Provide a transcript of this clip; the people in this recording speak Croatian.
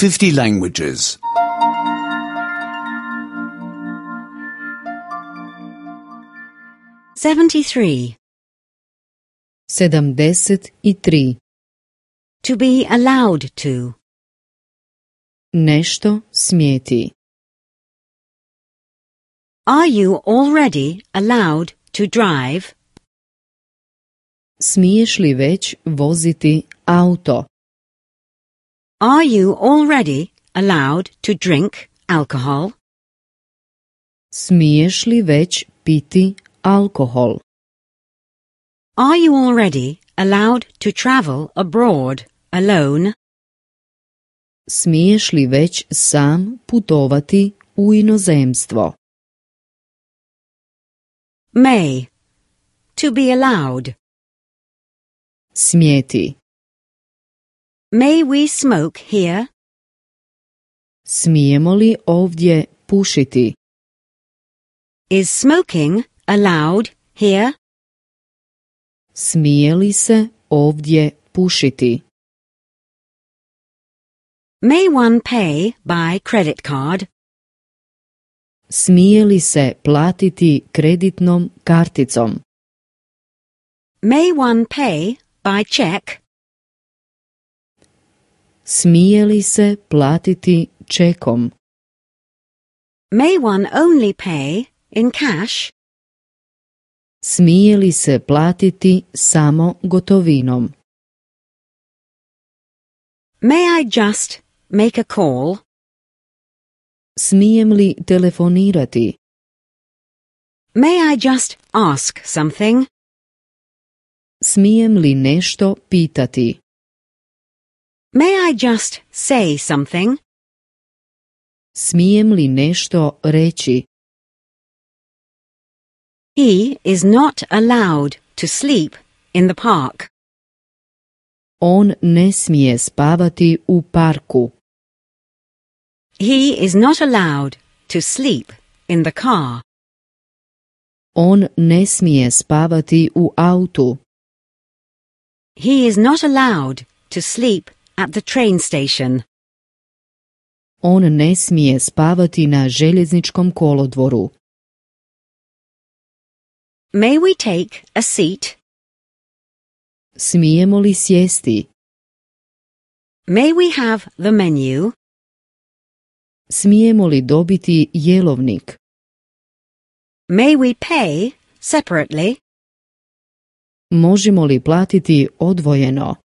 50 languages. 73. 73. To be allowed to. Nešto smjeti. Are you already allowed to drive? Smiješ li već voziti auto? Are you already allowed to drink alcohol? Smiješ li već piti alkohol? Are you already allowed to travel abroad alone? Smiješ li već sam putovati u inozemstvo? May. To be allowed. Smjeti. May we smoke here? Smijemo li ovdje pušiti? Is smoking allowed here? Smije li se ovdje pušiti? May one pay by credit card? Smije li se platiti kreditnom karticom? May one pay by check? Smije li se platiti čekom? May one only pay in cash? Smije li se platiti samo gotovinom? May I just make a call? Smijem li telefonirati? May I just ask something? Smijem li nešto pitati? May I just say something? Smijem li nešto reći? He is not allowed to sleep in the park. On ne smije spavati u parku. He is not allowed to sleep in the car. On ne smije spavati u autu. He is not allowed to sleep at the train station. On ne smije spavati na željezničkom kolodvoru. May we take a seat? Smijemo li sjesti? May we have the menu? Smijemo li dobiti jelovnik? May we pay separately? Možemo li platiti odvojeno?